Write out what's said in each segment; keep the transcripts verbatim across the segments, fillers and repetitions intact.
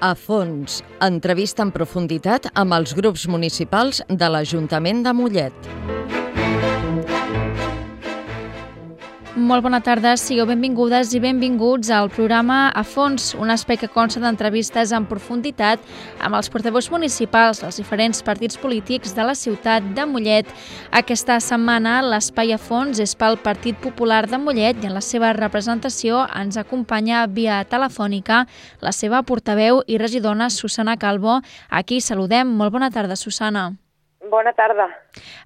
A fons, entrevista en profunditat amb els grups municipals de l'Ajuntament de Mollet. Molt bona tarda, sigueu benvingudes i benvinguts al programa A Fons, un espai que consta d'entrevistes en profunditat amb els portaveus municipals dels diferents partits polítics de la ciutat de Mollet. Aquesta setmana l'espai A Fons és pel Partit Popular de Mollet i en la seva representació ens acompanya via telefònica la seva portaveu i regidora Susana Calvo. Aquí saludem. Molt bona tarda, Susana. Bona tarda.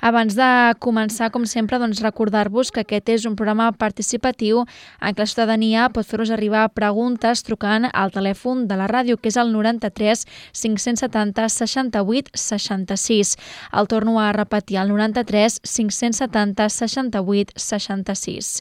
Abans de començar, com sempre, doncs recordar-vos que aquest és un programa participatiu en què la ciutadania pot fer-nos arribar preguntes trucant al telèfon de la ràdio, que és el noranta-tres cinc-cents setanta seixanta-vuit seixanta-sis. El torno a repetir, el noranta-tres cinc-cents setanta seixanta-vuit seixanta-sis.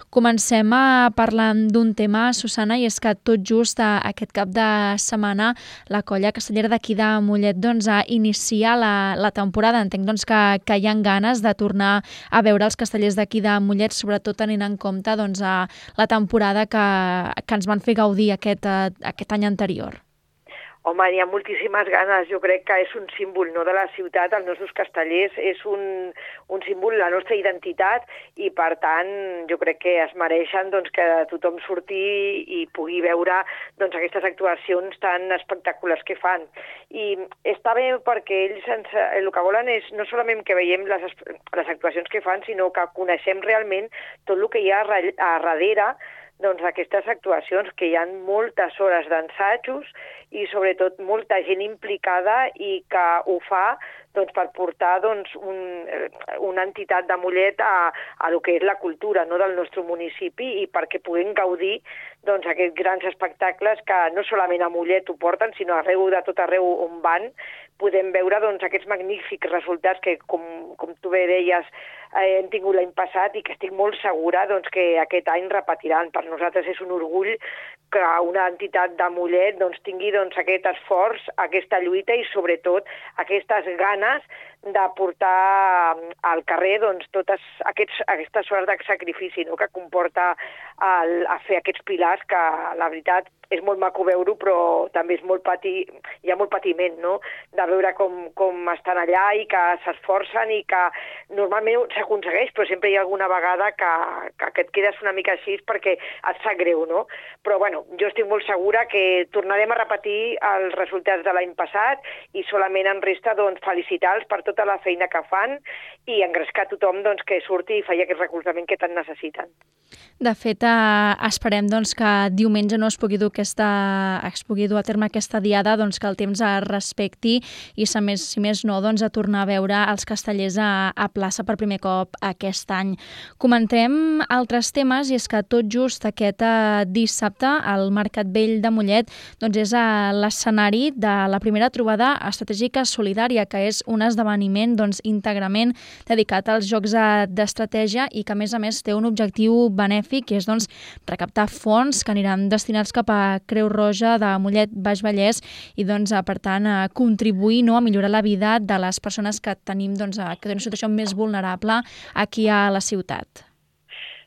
Comencem a parlar d'un tema, Susana, i és que tot just aquest cap de setmana la colla castellera d'aquí de Mollet doncs, a iniciar la, la temporada. Entenc doncs, que, que hi ha ganes de tornar a veure els castellers d'aquí de Mollet, sobretot tenint en compte doncs, a la temporada que, que ens van fer gaudir aquest, aquest any anterior. Home, hi ha moltíssimes ganes. Jo crec que és un símbol, no, de la ciutat, els nostres castellers, és un, un símbol de la nostra identitat i, per tant, jo crec que es mereixen doncs, que tothom surti i pugui veure doncs, aquestes actuacions tan espectaculars que fan. I està bé perquè ells ens, el que volen és no solament que veiem les, les actuacions que fan, sinó que coneixem realment tot el que hi ha a darrere doncs, aquestes actuacions, que hi ha moltes hores d'ensajos i sobretot molta gent implicada i que ho fa doncs, per portar doncs, un, una entitat de Mollet a, a lo que és la cultura, no, del nostre municipi, i perquè puguem gaudir doncs, aquests grans espectacles que no solament a Mollet ho porten, sinó arreu de tot arreu on van, podem veure doncs, aquests magnífics resultats que, com, com tu bé deies, eh, hem tingut l'any passat i que estic molt segura doncs, que aquest any repetiran. Per nosaltres és un orgull que una entitat de Mollet doncs, tingui doncs, aquest esforç, aquesta lluita i sobretot aquestes ganes de portar al carrer doncs, totes aquests, aquestes hores de sacrifici, no?, que comporta el, a fer aquests pilars, que la veritat és molt maco veure-ho, però també és molt pati, hi ha molt patiment, no?, de veure com, com estan allà i que s'esforcen i que normalment s'aconsegueix, però sempre hi ha alguna vegada que, que, que et quedes una mica així perquè et sap greu, no? Però bueno, jo estic molt segura que tornarem a repetir els resultats de l'any passat i solament em resta doncs, felicitar-los per tota la feina que fan i engrescar tothom doncs, que surti i faci aquest recolzament que tant necessiten. De fet, eh, esperem doncs, que diumenge no es pugui dur, aquesta, es pugui dur a terme aquesta diada, doncs, que el temps es respecti i, si més, si més no, doncs, a tornar a veure els castellers a, a plaça per primer cop aquest any. Comentem altres temes, i és que tot just aquest eh, dissabte al Mercat Vell de Mollet doncs, és eh, l'escenari de la primera trobada estratègica solidària, que és un esdeveniment doncs, íntegrament dedicat als jocs d'estratègia i que, a més a més, té un objectiu benèfic, que és doncs, recaptar fons que aniran destinats cap a Creu Roja de Mollet Baix Vallès i, doncs, per tant, a contribuir, no, a millorar la vida de les persones que tenim doncs, que tenen una situació més vulnerable aquí a la ciutat.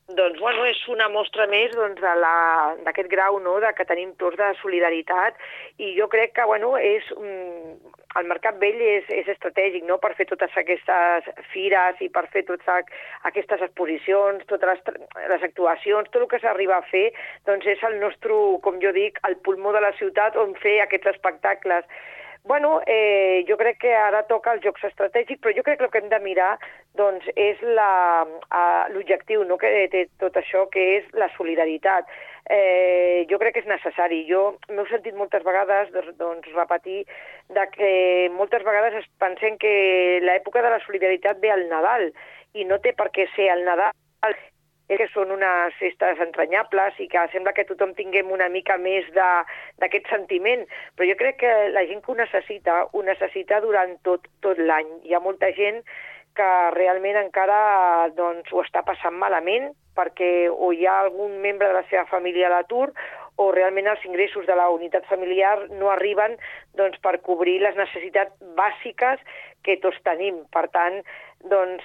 Doncs, bueno, és una mostra més doncs, d'aquest grau, no?, de que tenim tots de solidaritat, i jo crec que, bueno, és, um, el Mercat Vell és, és estratègic, no?, per fer totes aquestes fires i per fer totes aquestes exposicions, totes les, les actuacions, tot el que s'arriba a fer, doncs és el nostre, com jo dic, el pulmó de la ciutat on fer aquests espectacles. Bueno, eh, jo crec que ara toca els jocs estratègics, però jo crec que el que hem de mirar doncs, és l'objectiu, no?, que té tot això, que és la solidaritat. Eh, jo crec que és necessari. Jo m'heu sentit moltes vegades doncs, doncs, repetir de que moltes vegades es pensen que l'època de la solidaritat ve al Nadal, i no té per què ser el Nadal, que són unes festes entranyables i que sembla que tothom tinguem una mica més d'aquest sentiment, però jo crec que la gent que ho necessita, ho necessita durant tot, tot l'any. Hi ha molta gent que realment encara doncs, ho està passant malament perquè o hi ha algun membre de la seva família a l'atur o realment els ingressos de la unitat familiar no arriben doncs, per cobrir les necessitats bàsiques que tots tenim. Per tant, doncs,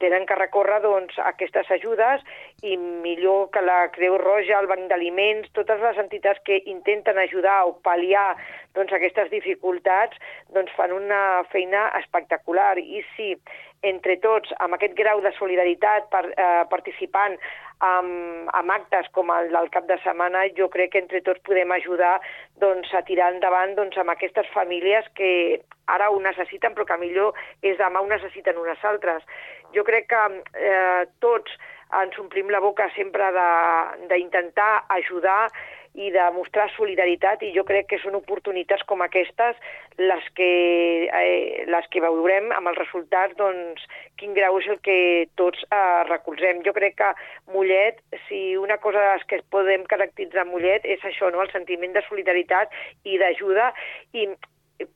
tenen que recórrer doncs, a aquestes ajudes i millor que la Creu Roja, el Banc d'Aliments, totes les entitats que intenten ajudar o pal·liar doncs, aquestes dificultats doncs, fan una feina espectacular. I si entre tots, amb aquest grau de solidaritat, per, eh, participant amb, amb actes com el del cap de setmana, jo crec que entre tots podem ajudar doncs, a tirar endavant doncs, amb aquestes famílies que ara ho necessiten, però que millor és demà ho necessiten unes altres. Jo crec que eh, tots ens omplim la boca sempre d'intentar ajudar i de mostrar solidaritat, i jo crec que són oportunitats com aquestes les que, eh, les que veurem amb els resultats, doncs, quin grau és el que tots eh, recolzem. Jo crec que Mollet, si una cosa de les que podem caracteritzar Mollet és això, no? El sentiment de solidaritat i d'ajuda, i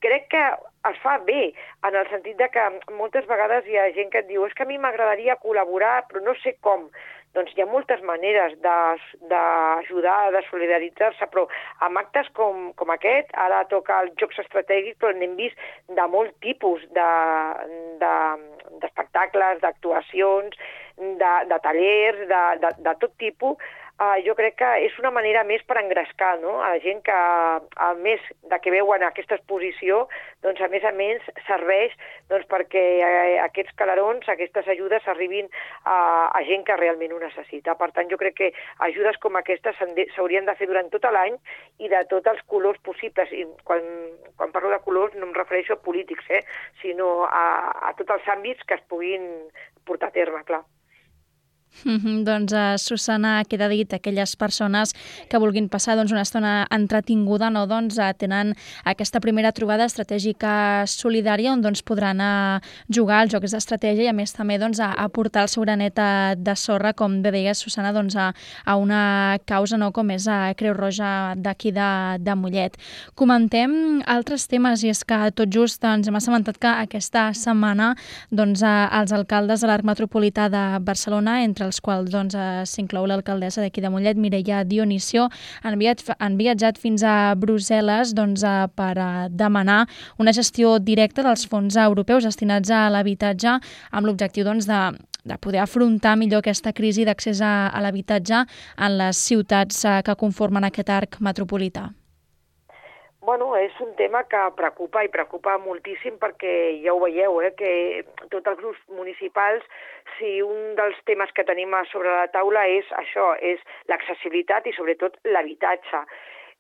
crec que es fa bé, en el sentit de que moltes vegades hi ha gent que et diu és que a mi m'agradaria col·laborar, però no sé com. Doncs hi ha moltes maneres d'ajudar, de solidaritzar-se, però amb actes com, com aquest, ara toca els jocs estratègics, però n'hem vist de molt tipus d'espectacles, de, de, d'actuacions, de, de tallers, de, de, de tot tipus. Uh, jo crec que és una manera més per engrescar, no? A la gent que, a més de que veuen aquesta exposició, doncs a més a més serveix doncs, perquè eh, aquests calarons, aquestes ajudes arribin a, a gent que realment ho necessita. Per tant, jo crec que ajudes com aquestes s'haurien de fer durant tot l'any i de tots els colors possibles. I quan, quan parlo de colors no em refereixo a polítics, eh? Sinó a, a tots els àmbits que es puguin portar a terme, clar. Mm-hmm, doncs, uh, Susana, queda dit, aquelles persones que vulguin passar doncs, una estona entretinguda, no? Doncs, uh, tenen aquesta primera trobada estratègica solidària on doncs, podran uh, jugar als jocs d'estratègia i a més també doncs, a, a portar el seu granet de sorra, com bé deies, Susana, doncs, a, a una causa no? Com és a Creu Roja d'aquí de, de Mollet. Comentem altres temes, i és que tot just ens hem assabentat que aquesta setmana doncs, uh, els alcaldes de l'Arc Metropolità de Barcelona, entre els quals doncs, s'inclou l'alcaldessa d'aquí de Mollet, Mireia Dionisio, han, viat, han viatjat fins a Brussel·les doncs, per a demanar una gestió directa dels fons europeus destinats a l'habitatge amb l'objectiu doncs, de, de poder afrontar millor aquesta crisi d'accés a, a l'habitatge en les ciutats que conformen aquest arc metropolità. Bueno, és un tema que preocupa i preocupa moltíssim perquè ja ho veieu, eh, que tots els grups municipals, si un dels temes que tenim a sobre la taula és això, és l'accessibilitat i sobretot l'habitatge.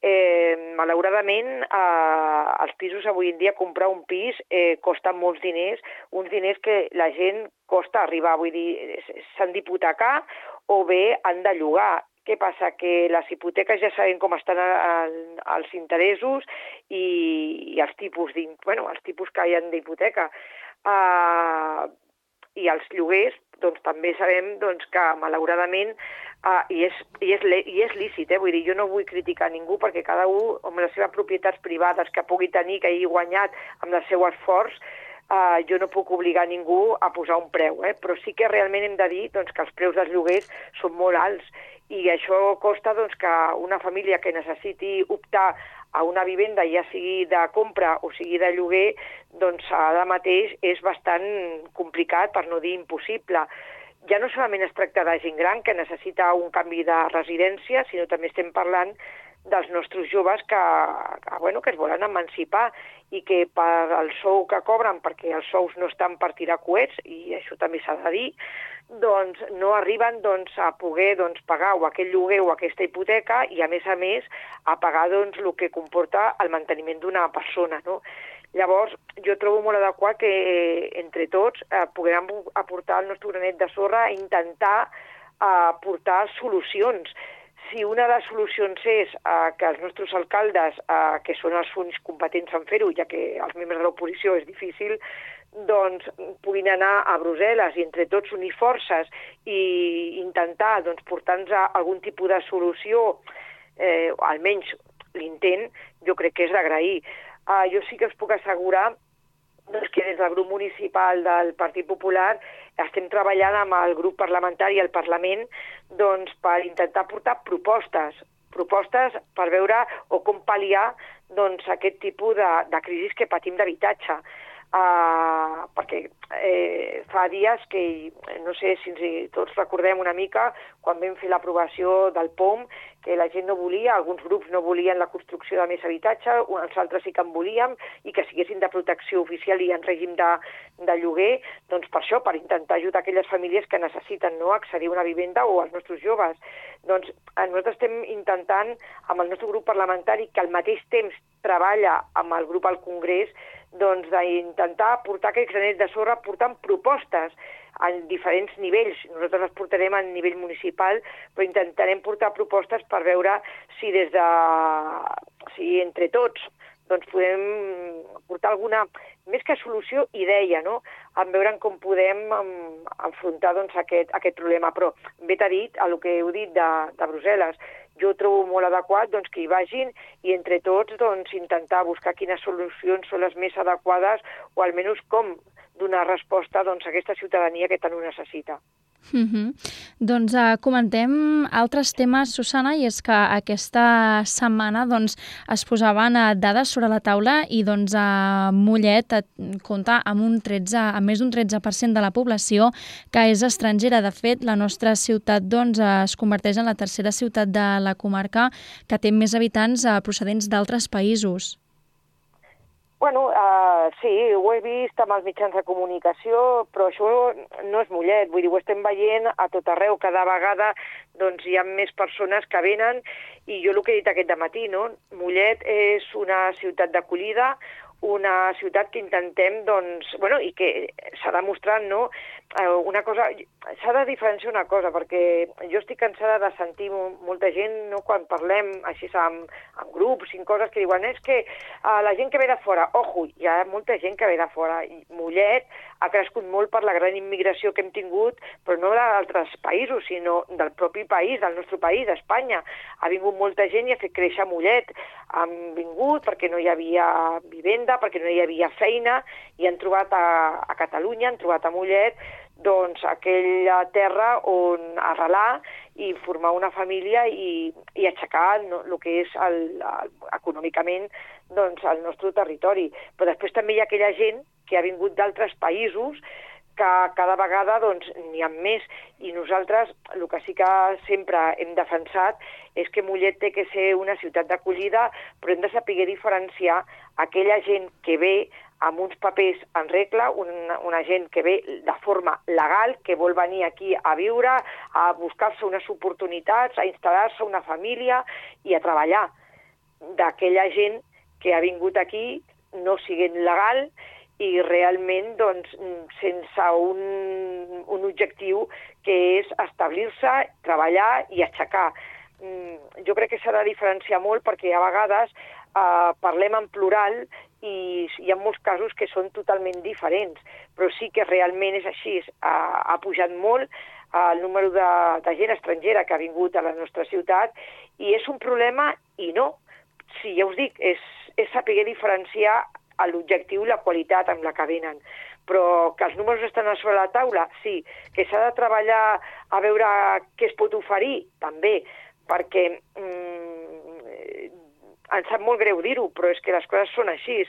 Eh, malauradament, eh, els pisos avui en dia, comprar un pis eh, costa molts diners, uns diners que la gent costa arribar, vull dir, s'han d'hipotecar o bé han de llogar. Què passa? Que les hipoteques ja sabem com estan els interessos i, i els tipus, bueno, els tipus que hi ha d'hipoteca. Uh, I els lloguers, doncs també sabem doncs, que malauradament, uh, i, és, i, és, i és lícit, eh? Vull dir, jo no vull criticar ningú perquè cada un amb les seves propietats privades que pugui tenir, que hagi guanyat amb el seu esforç, Uh, jo no puc obligar ningú a posar un preu, eh? Però sí que realment hem de dir doncs, que els preus dels lloguers són molt alts i això costa doncs, que una família que necessiti optar a una vivenda, ja sigui de compra o sigui de lloguer, doncs ara mateix és bastant complicat, per no dir impossible. Ja no solament es tracta de gent gran que necessita un canvi de residència, sinó també estem parlant dels nostres joves que, que, bueno, que es volen emancipar i que per el sou que cobren, perquè els sous no estan per tirar coets, i això també s'ha de dir, doncs no arriben doncs, a poder doncs, pagar o aquest lloguer o aquesta hipoteca i, a més a més, a pagar doncs, el que comporta el manteniment d'una persona, no? Llavors, jo trobo molt adequat que eh, entre tots eh, puguem aportar el nostre granet de sorra i intentar eh, aportar solucions. Si una de les solucions és eh, que els nostres alcaldes, eh, que són els únics competents en fer-ho, ja que els membres de l'oposició és difícil, doncs puguin anar a Brussel·les i entre tots unir forces i intentar doncs, portar-nos a algun tipus de solució, eh, almenys l'intent, jo crec que és d'agrair. Uh, jo sí que us puc assegurar doncs, que des del grup municipal del Partit Popular estem treballant amb el grup parlamentari al Parlament doncs, per intentar portar propostes, propostes per veure o com pal·liar doncs, aquest tipus de, de crisi que patim d'habitatge. Uh, perquè eh, fa dies que, no sé si ens, tots recordem una mica quan vam fer l'aprovació del P O M, que la gent no volia, alguns grups no volien la construcció de més habitatge, els altres sí que en volíem, i que siguessin de protecció oficial i en règim de, de lloguer, doncs per això, per intentar ajudar aquelles famílies que necessiten, no, accedir a una vivenda, o als nostres joves. Doncs nosaltres estem intentant, amb el nostre grup parlamentari, que al mateix temps treballa amb el grup al Congrés, doncs d'intentar portar aquest granet de sorra portant propostes a diferents nivells. Nosaltres les portarem a nivell municipal, però intentarem portar propostes per veure si des de... si entre tots doncs podem portar alguna, més que solució, idea, no?, en veure com podem enfrontar doncs, aquest, aquest problema. Però bé t'ha dit, el que heu dit de, de Brussel·les, jo trobo molt adequat doncs, que hi vagin i entre tots doncs, intentar buscar quines solucions són les més adequades o almenys com donar resposta doncs, a aquesta ciutadania que tant ho necessita. Uh-huh. Doncs uh, comentem altres temes, Susana, i és que aquesta setmana doncs, es posaven uh, dades sobre la taula i doncs, uh, Mollet uh, compta amb, un tretze, amb més d'un tretze per cent de la població que és estrangera. De fet, la nostra ciutat doncs, uh, es converteix en la tercera ciutat de la comarca que té més habitants uh, procedents d'altres països. Bueno, uh, sí, ho he vist amb els mitjans de comunicació, però això no és Mollet, vull dir, ho estem veient a tot arreu, cada vegada doncs, hi ha més persones que venen, i jo el que he dit aquest dematí, no? Mollet és una ciutat d'acollida, una ciutat que intentem, doncs, bueno, i que s'ha demostrat, no?, una cosa, s'ha de diferenciar una cosa, perquè jo estic cansada de sentir molta gent, no?, quan parlem així amb, amb grups i coses que diuen, és que uh, la gent que ve de fora, ojo, hi ha molta gent que ve de fora, i Mollet ha crescut molt per la gran immigració que hem tingut, però no d'altres països, sinó del propi país, del nostre país, d'Espanya. Ha vingut molta gent i ha fet créixer Mollet. Han vingut perquè no hi havia vivenda, perquè no hi havia feina, i han trobat a, a Catalunya, han trobat a Mollet, doncs aquella terra on arrelar i formar una família i, i aixecar no, el que és el, el, econòmicament doncs, el nostre territori. Però després també hi ha aquella gent que ha vingut d'altres països que cada vegada doncs, n'hi ha més, i nosaltres el que sí que sempre hem defensat és que Mollet té que ser una ciutat d'acollida, però hem de saber diferenciar aquella gent que ve amb uns papers en regla, una, una gent que ve de forma legal, que vol venir aquí a viure, a buscar-se unes oportunitats, a instal·lar-se una família i a treballar, d'aquella gent que ha vingut aquí no siguent legal i realment doncs, sense un, un objectiu que és establir-se, treballar i aixecar. Jo crec que s'ha de diferenciar molt perquè a vegades eh, parlem en plural i hi ha molts casos que són totalment diferents, però sí que realment és així. Ha, ha pujat molt el número de, de gent estrangera que ha vingut a la nostra ciutat i és un problema i no. Sí, ja us dic, és, és saber diferenciar l'objectiu i la qualitat amb la que venen. Però que els números estan a sobre la taula, sí. Que s'ha de treballar a veure què es pot oferir, també, perquè mm, em sap molt greu dir-ho, però és que les coses són així.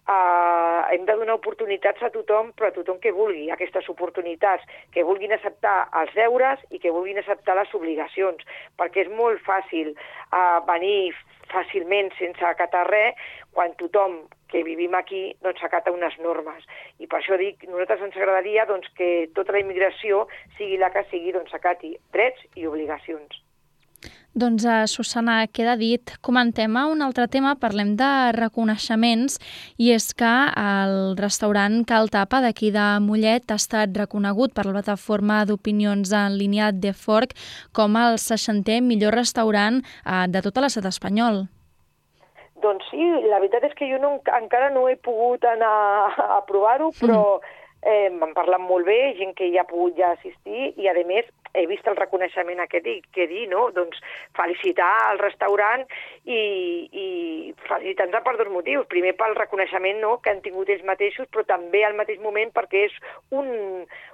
Uh, hem de donar oportunitats a tothom, però a tothom que vulgui aquestes oportunitats, que vulguin acceptar els deures i que vulguin acceptar les obligacions, perquè és molt fàcil uh, venir fàcilment sense acatar res, quan tothom que vivim aquí doncs, acata unes normes. I per això dic, nosaltres ens agradaria doncs, que tota la immigració, sigui la que sigui, doncs, acati drets i obligacions. Doncs, uh, Susana, queda dit. Comentem un altre tema, parlem de reconeixements, i és que el restaurant Cal Tapa d'aquí de Mollet ha estat reconegut per la plataforma d'opinions en línia de Fork com el seixantè millor restaurant uh, de tot l'estat espanyol. Doncs sí, la veritat és que jo no, encara no he pogut anar a provar-ho, però eh, m'han parlat molt bé, gent que hi ha pogut ja assistir, i a més he vist el reconeixement aquest i què dir, no? Doncs felicitar el restaurant i, i felicitar-nos per dos motius. Primer pel reconeixement, no?, que han tingut ells mateixos, però també al mateix moment perquè és un,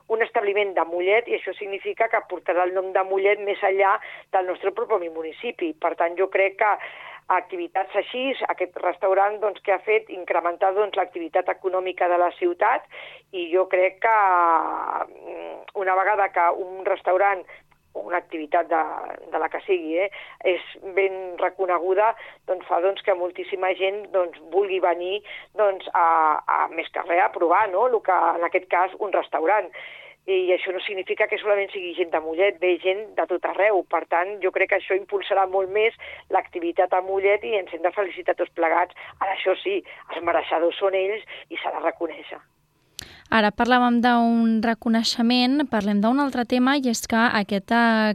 un establiment de Mollet i això significa que portarà el nom de Mollet més enllà del nostre propi municipi. Per tant, jo crec que activitats així, aquest restaurant doncs, que ha fet incrementar doncs, l'activitat econòmica de la ciutat, i jo crec que una vegada que un restaurant o una activitat de, de la que sigui, eh, és ben reconeguda, doncs fa doncs, que moltíssima gent doncs, vulgui venir doncs, a, a més que res a provar, no? El que, en aquest cas, un restaurant. I això no significa que solament sigui gent de Mollet, ve gent de tot arreu. Per tant, jo crec que això impulsarà molt més l'activitat a Mollet i ens hem de felicitar tots plegats. Ara, això sí, els mereixedors són ells i s'ha de reconèixer. Ara parlàvem d'un reconeixement, parlem d'un altre tema, i és que aquest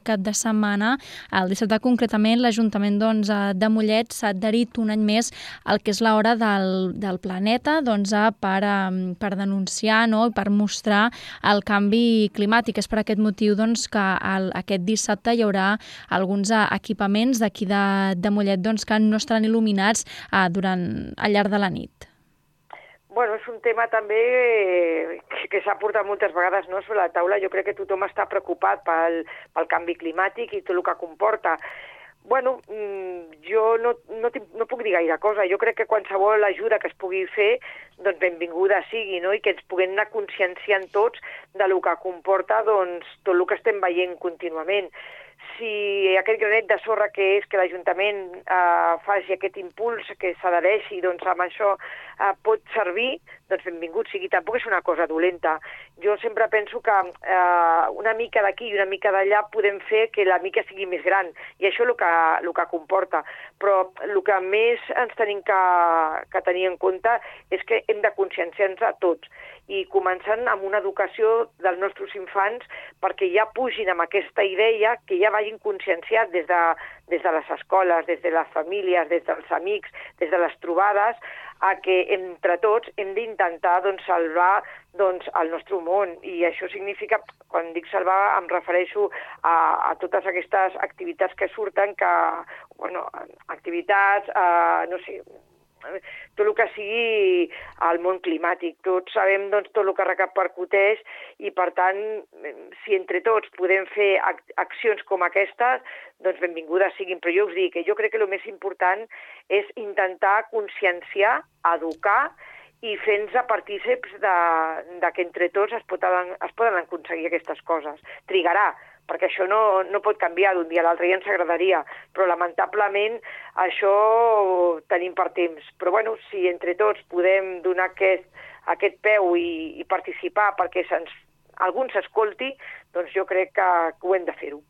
cap de setmana, el dissabte concretament, l'Ajuntament doncs, de Mollet s'ha adherit un any més al que és l'Hora del, del Planeta doncs, per, per denunciar, no?, i per mostrar el canvi climàtic. És per aquest motiu doncs, que el, aquest dissabte hi haurà alguns equipaments d'aquí de, de Mollet doncs, que no estaran il·luminats eh, durant, al llarg de la nit. Bueno, és un tema també que, que s'ha portat moltes vegades, no?, sobre la taula. Jo crec que tothom està preocupat pel, pel canvi climàtic i tot el que comporta. Bueno, jo no, no, no puc dir gaire cosa. Jo crec que qualsevol ajuda que es pugui fer, doncs benvinguda sigui, no?, i que ens puguem anar conscienciant tots de lo que comporta doncs, tot el que estem veient contínuament. Si aquest granet de sorra que és que l'Ajuntament eh, faci aquest impuls, que s'adhereixi doncs, amb això, eh, pot servir, doncs benvingut sigui. Tampoc és una cosa dolenta. Jo sempre penso que eh, una mica d'aquí i una mica d'allà podem fer que la mica sigui més gran, i això és el que, el que comporta. Però el que més ens tenim que, que tenir en compte és que hem de conscienciar-nos a tots, i començant amb una educació dels nostres infants perquè ja pugin amb aquesta idea, que ja vagin conscienciats des de, des de les escoles, des de les famílies, des dels amics, des de les trobades, a que entre tots hem d'intentar doncs, salvar doncs, el nostre món. I això significa, quan dic salvar, em refereixo a, a totes aquestes activitats que surten, que, bueno, activitats, eh, no sé, tot el que sigui el món climàtic. Tots sabem doncs, tot el que repercuteix, i per tant, si entre tots podem fer ac accions com aquestes, doncs benvingudes siguin. Però jo us dic que jo crec que el més important és intentar conscienciar, educar i fer-nos partícips de, de que entre tots es poden, es poden aconseguir aquestes coses. Trigarà, perquè això no, no pot canviar d'un dia a l'altre, ja ens agradaria, però lamentablement això tenim per temps. Però bueno, si entre tots podem donar aquest, aquest peu i, i participar perquè se'ns, algú s'escolti, doncs jo crec que, que ho hem de fer-ho.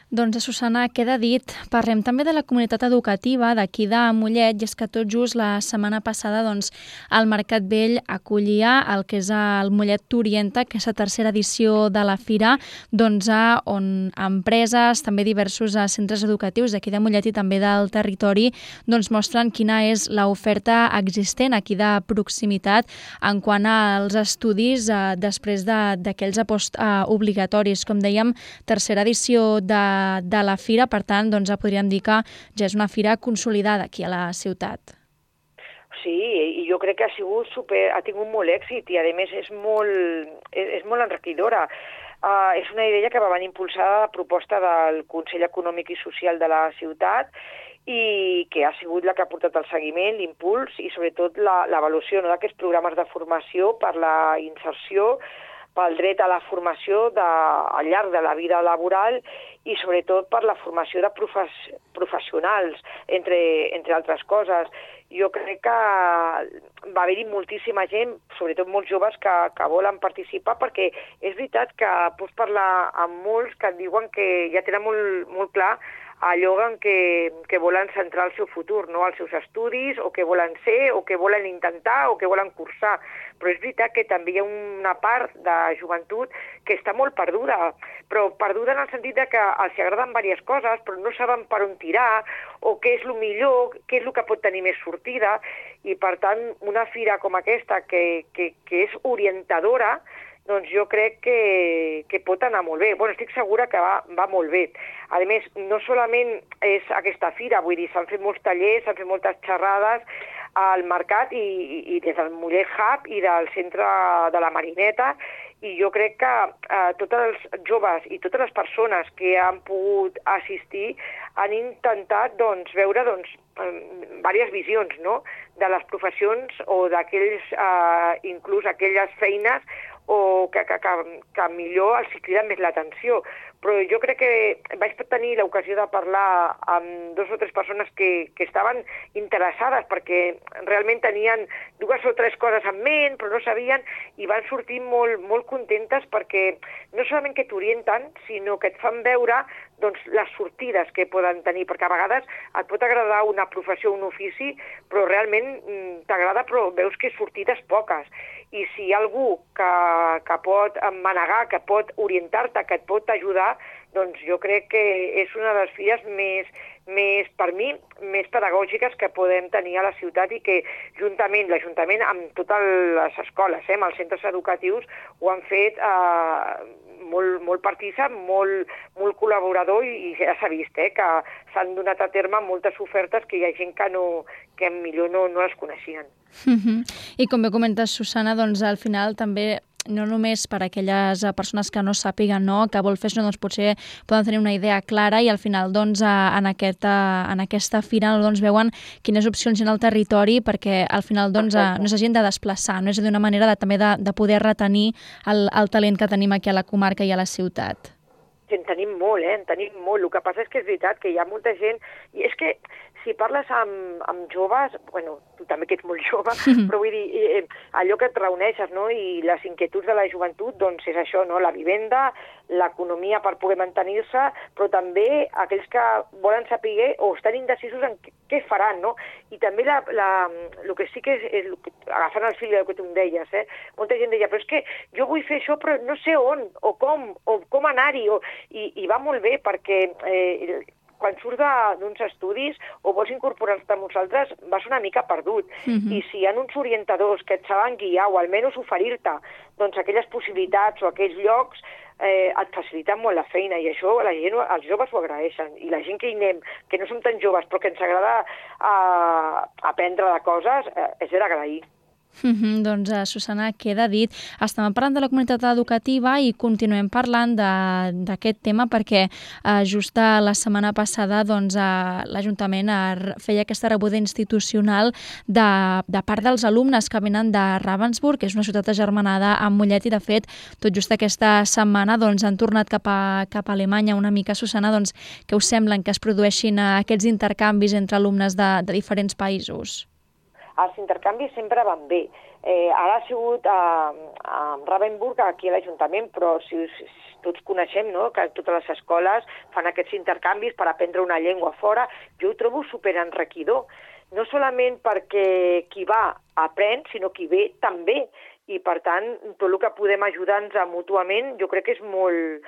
Doncs, Susana, queda dit. Parlem també de la comunitat educativa d'aquí de Mollet, i és que tot just la setmana passada doncs, el Mercat Vell acollia el que és el Mollet T'Orienta, que és la tercera edició de la fira, doncs, on empreses, també diversos centres educatius d'aquí de Mollet i també del territori, doncs, mostren quina és l'oferta existent aquí de proximitat en quant als estudis eh, després d'aquells postobligatoris. Com dèiem, tercera edició de de la fira, per tant, doncs, podríem dir que ja és una fira consolidada aquí a la ciutat. Sí, i jo crec que ha sigut super, ha tingut molt èxit, i a més és molt, és, és molt enriquidora. Uh, és una idea que va venir impulsada a proposta del Consell Econòmic i Social de la ciutat, i que ha sigut la que ha portat el seguiment, l'impuls i sobretot l'avaluació, no, d'aquests programes de formació per la inserció, pel dret a la formació de, al llarg de la vida laboral, i sobretot per la formació de profes, professionals, entre, entre altres coses. Jo crec que va haver-hi moltíssima gent, sobretot molts joves, que, que volen participar, perquè és veritat que pots parlar amb molts que et diuen que ja tenen molt, molt clar allò en què, que volen centrar el seu futur, no? Els seus estudis, o què volen ser, o què volen intentar, o què volen cursar. Però és veritat que també hi ha una part de joventut que està molt perduda, però perduda en el sentit de que els agraden diverses coses, però no saben per on tirar, o què és el millor, què és el que pot tenir més sortida, i per tant una fira com aquesta, que, que, que és orientadora, doncs jo crec que, que pot anar molt bé. Bueno, estic segura que va, va molt bé. A més, no solament és aquesta fira, vull dir, s'han fet molts tallers, s'han fet moltes xerrades al mercat i, i, i des del Mollet Hub i del centre de la Marineta, i jo crec que eh, tots els joves i totes les persones que han pogut assistir han intentat doncs, veure doncs, diverses visions, no?, de les professions o d'aquells, eh, inclús aquelles feines o que, que, que, que millor els criden més l'atenció. Però jo crec que vaig tenir l'ocasió de parlar amb dos o tres persones que, que estaven interessades perquè realment tenien dues o tres coses en ment, però no sabien, i van sortir molt, molt contentes perquè no solament que t'orienten, sinó que et fan veure doncs, les sortides que poden tenir, perquè a vegades et pot agradar una professió o un ofici, però realment t'agrada, però veus que sortides poques. I si hi ha algú que, que pot manegar, que pot orientar-te, que et pot ajudar, doncs jo crec que és una de les filles més, més, per mi, més pedagògiques que podem tenir a la ciutat i que juntament, l'Ajuntament, amb totes les escoles, eh, amb els centres educatius, ho han fet eh, molt, molt partícip, molt, molt col·laborador i, i ja s'ha vist eh, que s'han donat a terme moltes ofertes que hi ha gent que, no, que millor no, no les coneixien. Uh-huh. I com bé comentes, Susana, doncs al final també no només per a aquelles persones que no sàpiguen, no, que vol fer això, doncs potser poden tenir una idea clara i al final doncs, en, aquesta, en aquesta fira doncs, veuen quines opcions hi ha al territori perquè al final doncs, no s'hagin de desplaçar, no? És a dir, una manera de, també de, de poder retenir el, el talent que tenim aquí a la comarca i a la ciutat. En tenim molt, eh? En tenim molt. El que passa és que és veritat que hi ha molta gent... I és que si parles amb, amb joves, bueno, tu també que ets molt jove, però vull dir, eh, allò que et reuneixes, no?, i les inquietuds de la joventut, doncs és això, no?, la vivenda, l'economia per poder mantenir-se, però també aquells que volen saber o estan indecisos en què, què faran, no? I també la, la, el que sí que és, és agafant el fil del que tu em deies, eh? Molta gent deia, però és que jo vull fer això, però no sé on, o com, o com anar-hi, o... I, i va molt bé perquè eh, quan surts d'uns estudis o vols incorporar-te amb nosaltres vas una mica perdut. Uh-huh. I si hi ha uns orientadors que et saben guiar o almenys oferir-te doncs, aquelles possibilitats o aquells llocs eh, et faciliten molt la feina i això la gent, els joves ho agraeixen. I la gent que hi anem, que no som tan joves però que ens agrada eh, aprendre de coses, eh, és d'agrair. Mm-hmm, doncs, Susana, queda dit. Estem parlant de la comunitat educativa i continuem parlant d'aquest tema perquè eh, just la setmana passada doncs, eh, l'Ajuntament feia aquesta rebuda institucional de, de part dels alumnes que venen de Ravensburg, que és una ciutat agermanada amb Mollet, i de fet tot just aquesta setmana doncs, han tornat cap a, cap a Alemanya una mica. Susana, doncs, què us semblen que es produeixin aquests intercanvis entre alumnes de, de diferents països? Els intercanvis sempre van bé. Eh, ara ha sigut a, a Ravensburg, aquí a l'Ajuntament, però si, si tots coneixem, no?, que totes les escoles fan aquests intercanvis per aprendre una llengua fora. Jo ho trobo superenriquidor. No solament perquè qui va aprèn, sinó qui ve també. I, per tant, tot el que podem ajudar-nos mútuament jo crec que és molt...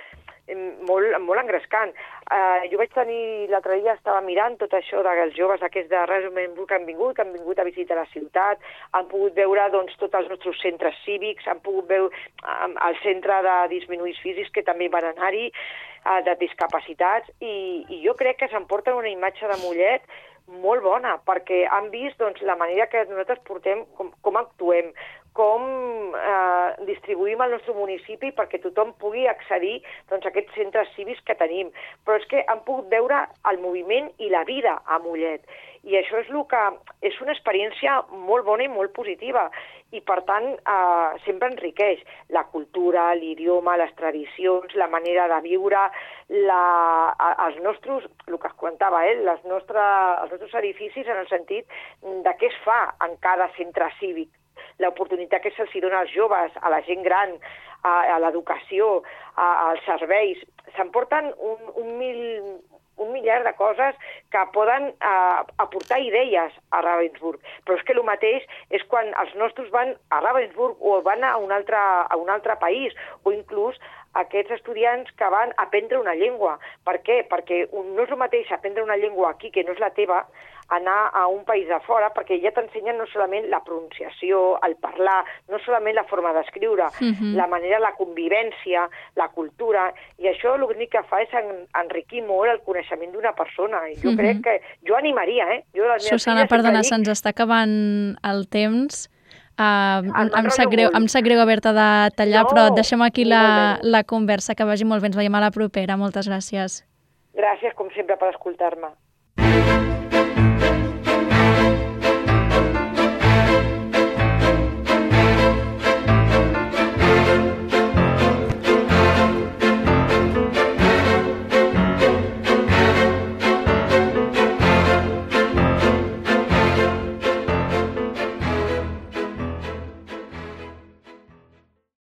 molt, molt engrescant. Uh, jo vaig tenir, l'altre dia estava mirant tot això dels joves aquests de Ravensburg que han vingut, que han vingut a visitar la ciutat, han pogut veure doncs, tots els nostres centres cívics, han pogut veure um, el centre de disminuïts físics que també van anar-hi, uh, de discapacitats, i, i jo crec que s'emporten una imatge de Mollet molt bona, perquè han vist doncs, la manera que nosaltres portem, com, com actuem, com eh, distribuïm el nostre municipi perquè tothom pugui accedir doncs, a aquests centres cívics que tenim. Però és que han pogut veure el moviment i la vida a Mollet. I això és el que és una experiència molt bona i molt positiva. I, per tant, eh, sempre enriqueix la cultura, l'idioma, les tradicions, la manera de viure, la, els nostres, el que es comentava, eh, les nostres, els nostres edificis en el sentit de què es fa en cada centre cívic, l'oportunitat que se'ls dona als joves, a la gent gran, a, a l'educació, als serveis. S'emporten un, un, mil, un miliard de coses que poden eh, aportar idees a Ravensburg. Però és que el mateix és quan els nostres van a Ravensburg o van a un altre, a un altre país, o inclús aquests estudiants que van a aprendre una llengua. Per què? Perquè no és el mateix aprendre una llengua aquí, que no és la teva, anar a un país de fora, perquè ja t'ensenyen no solament la pronunciació, el parlar, no solament la forma d'escriure, uh-huh. la manera, la convivència, la cultura, i això l'únic que fa és enriquir molt el coneixement d'una persona. I jo uh-huh. crec que... Jo animaria, eh? Jo, Susana, perdona, dic... se'ns està acabant el temps. Uh, em, sap greu, em sap greu haver-te de tallar, no, però deixem aquí la, la conversa, que vagi molt bé. Ens veiem a la propera. Moltes gràcies. Gràcies, com sempre, per escoltar-me.